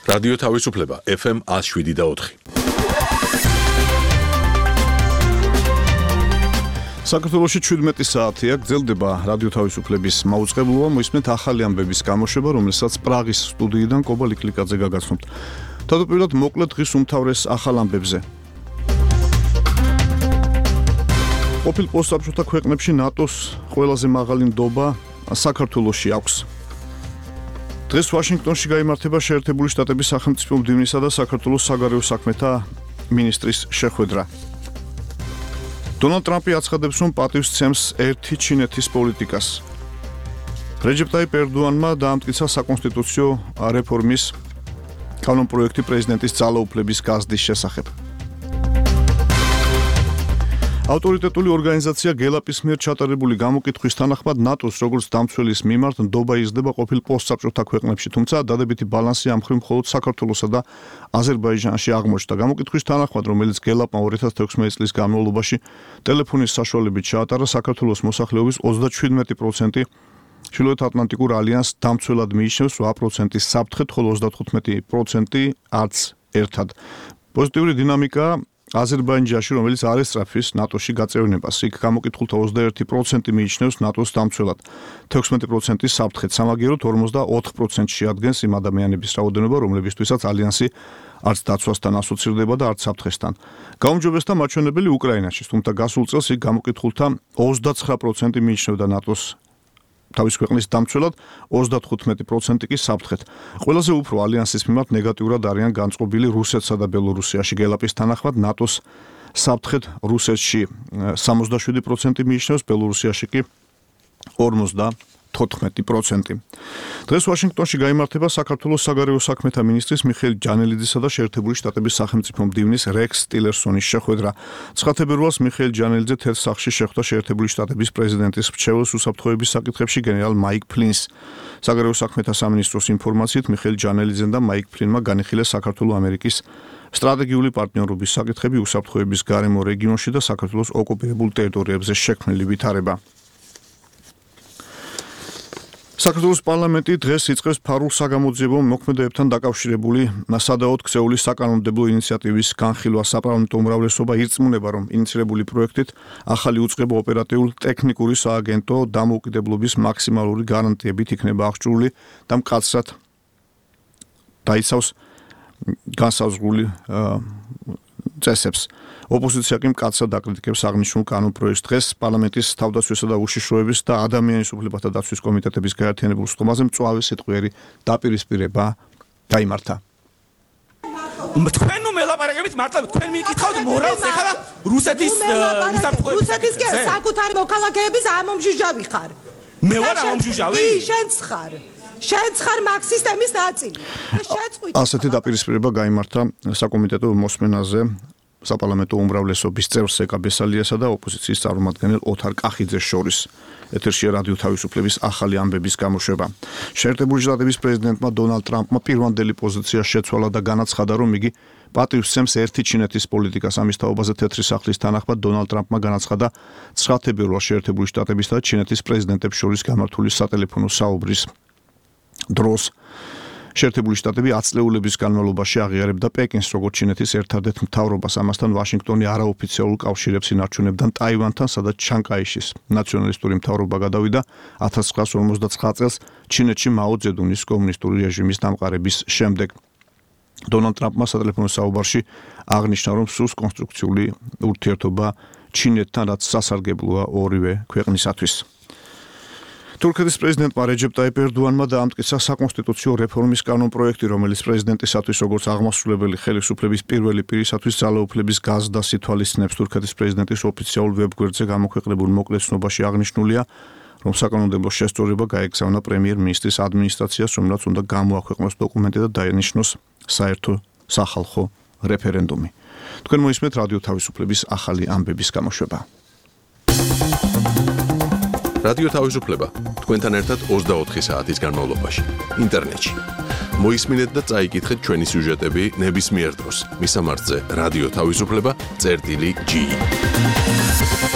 რადიო თავისუფლება FM 107.4. საქართველოში 17 საათია გრძელდება რადიო თავისუფლების მაუწყებლობა, მოისმენთ ახალი ამბების გამოშვება, რომელსაც პრაღის სტუდიიდან კობა ლიკლიკაძე გაგაცნობთ. თავდაპირველად მოკლედ დღის უმთავრეს ახალ ამბებზე. ყოფილ პოსტსაბჭოთა ქვეყნებში ნატოს ყველაზე მაღალი ნდობა საქართველოში აქვს. დღეს ვაშინგტონში გაიმართება შეერთებული შტატების სახელმწიფო მდივნისა და საქართველოს საგარეო საქმეთა მინისტრის შეხვედრა. დონალდ ტრამპი აცხადებს, რომ პატივს ცემს ერთი ჩინეთის პოლიტიკას. რეჯეპ ტაიპ ერდოანმა დაამტკიცა საკონსტიტუციო რეფორმის კანონპროექტი პრეზიდენტის ძალაუფლების გაზრდის შესახებ. ავტორიტეტული ორგანიზაცია გელაპის მიერ ჩატარებული გამოკითხვის თანახმად ნატოს როგორც დამცველის მიმართ ნდობა იზრდება ყოფილ პოსტსაბჭოთა ქვეყნებში, თუმცა დადებითი ბალანსი ამ მხრივ მხოლოდ საქართველოსა და აზერბაიჯანში აღმოჩნდა. გამოკითხვის თანახმად, რომელიც გელაპმა 2016 წლის განმავლობაში ტელეფონის საშუალებით ჩაატარა, საქართველოს მოსახლეობის 37% ჩრდილოეთ ატლანტიკურ ალიანსს დამცველად მიიჩნევს 8% საფრთხეთ, ხოლო 35% არც ერთად. პოზიტიური დინამიკა აზერბაიჯანში, რომელიც არ ესწრაფვის ნატოში გაწევრიანებას, იქ გამოკითხულთა 21% მიიჩნევს ნატოს დამცველად, 16% საფრთხეთ, სამაგიეროდ 44% შეადგენს იმ ადამიანების რაოდენობა, რომლებისთვისაც ალიანსი არც დაცვასთან ასოცირდება და არც საფრთხესთან. გაუმჯობესდა მაჩვენებელი უკრაინაში, თუმცა გასულ წელს იქ გამოკითხულთა 29% მიიჩნევდა ნატოს თავის ქვეყნის დამცველად, 35% კი საფრთხეთ. ყველაზე უფრო ალიანსის მიმართ ნეგატიურად არიან განწყობილი რუსეთსა და ბელორუსიაში. გელაპის თანახმად ნატოს საფრთხეთ რუსეთში 67% მიიჩნევს, ბელორუსიაში კი 54%. დღეს ვაშინგტონში გაიმართება საქართველოს საგარეო საქმეთა მინისტრის მიხეილ ჯანელიძისა და შეერთებული შტატების სახელმწიფო მდივნის რექს ტილერსონის შეხვედრა. 9 თებერვალს მიხეილ ჯანელიძე თეთრ სახლში შეხვდა შეერთებული შტატების პრეზიდენტის მრჩეველს უსაფრთხოების საკითხებში გენერალ მაიკ ფლინს. საგარეო საქმეთა სამინისტროს ინფორმაციით მიხეილ ჯანელიძემ და მაიკ ფლინმა განიხილეს საქართველო-ამერიკის სტრატეგიული პარტნიორობის საკითხები უსაფრთხოების გარემო რეგიონში და საქართველოს ოკუპირებულ ტერიტორიებზე შექმნილი ვითარება. საქართველოს პარლამენტი დღეს იწყებს ფარულ საგამოძიებო მოქმედებებთან დაკავშირებული სადაოდ ქცეული საკანონმდებლო ინიციატივის განხილვა. საპარლამენტო უმრავლესობა ირწმუნება, რომ ინიცირებული პროექტით ახალი უწყება ოპერატიულ-ტექნიკური სააგენტო დამოუკიდებლობის მაქსიმალური გარანტიებით იქნება აღჭურვილი და მკაცრად დაიცავს განსაზღვრული წესებს. ოპოზიცია კი მკაცრად აკრიტიკებს აღნიშნულ კანონპროექტს. დღეს პარლამენტის თავდაცვისა და უშიშროების და ადამიანის უფლებათა დაცვის კომიტეტების გაერთიანებულ სტომაზე მწვავე სიტყვიერი დაპირისპირება გაიმართა. თქვენ მელაპარაკებით მართლა თქვენ მიკითხავთ მორალს ეხლა რუსეთის რუსეთის საკუთარი მოქალაქეების ამომჟუჟავი ხარ. მე ვარ ამომჟუჟავი? შენც ხარ. შენც ხარ მაგ სისტემის ნაწილი. ასეთი დაპირისპირება გაიმართა საკომიტეტო მოსმენაზე საპარლამენტო უმრავლესობის წევრ სეკა ბესალიასა და ოპოზიციის წარმომადგენელ ოთარ კახიძეს შორის. ეთერშია რადიო თავისუფლების ახალი ამბების გამოშვება. შეერთებული შტატების პრეზიდენტმა დონალდ ტრამპმა პირვანდელი პოზიცია შეცვალა და განაცხადა, რომ იგი პატივს ცემს ერთი ჩინეთის პოლიტიკას. ამის თაობაზე თეთრი სახლის თანახმად დონალდ ტრამპმა განაცხადა 9 თებერვალს შეერთებული შტატებისა და ჩინეთის პრეზიდენტებს შორის გამართული სატელეფონო საუბრის დროს. შეერთებული შტატები 10 წლეულების განმავლობაში აღიარებდა პეკინს როგორც ჩინეთის ერთადერთ მთავრობას. ამასთან ვაშინგტონი არაოფიციალურ კავშირებს ინარჩუნებდა ტაივანთან, სადაც ჩანკაიშის ნაციონალისტური მთავრობა გადავიდა 1959 წელს ჩინეთში მაო ძედუნის კომუნისტური რეჟიმის დამყარების შემდეგ. დონალდ ტრამპმა სატელეფონო საუბარში აღნიშნა, რომ სურს კონსტრუქციული ურთიერთობა ჩინეთთან, რაც სასარგებლოა ორივე ქვეყნისათვის. თურქეთის პრეზიდენტმა რეჯეპ ტაიპ ერდოანმა დაამტკიცა საკონსტიტუციო რეფორმის კანონპროექტი, რომელიც პრეზიდენტისათვის როგორც აღმასრულებელი ხელისუფლების პირველი პირისათვის ძალაუფლების გაზრდას ითვალისწინებს. თურქეთის პრეზიდენტის ოფიციალურ ვებგვერდზე გამოქვეყნებულ მოკლე ცნობაში აღნიშნულია, რომ საკანონმდებლო შესწორება გაეგზავნა პრემიერ-მინისტრის ადმინისტრაციას, რომელსაც უნდა გამოაქვეყნოს დოკუმენტი და დაენიშნოს საერთო სახალხო რეფერენდუმი. თქვენ მოისმენთ რადიო თავისუფლების ახალი ამბების გამოშვება. რადიო თავისუფლება თქვენთან ერთად 24 საათის განმავლობაში ინტერნეტში. მოისმინეთ და წაიკითხეთ ჩვენი სიუჟეტები ნებისმიერ დროს. მისამართზე რადიო თავისუფლება წერტილი G.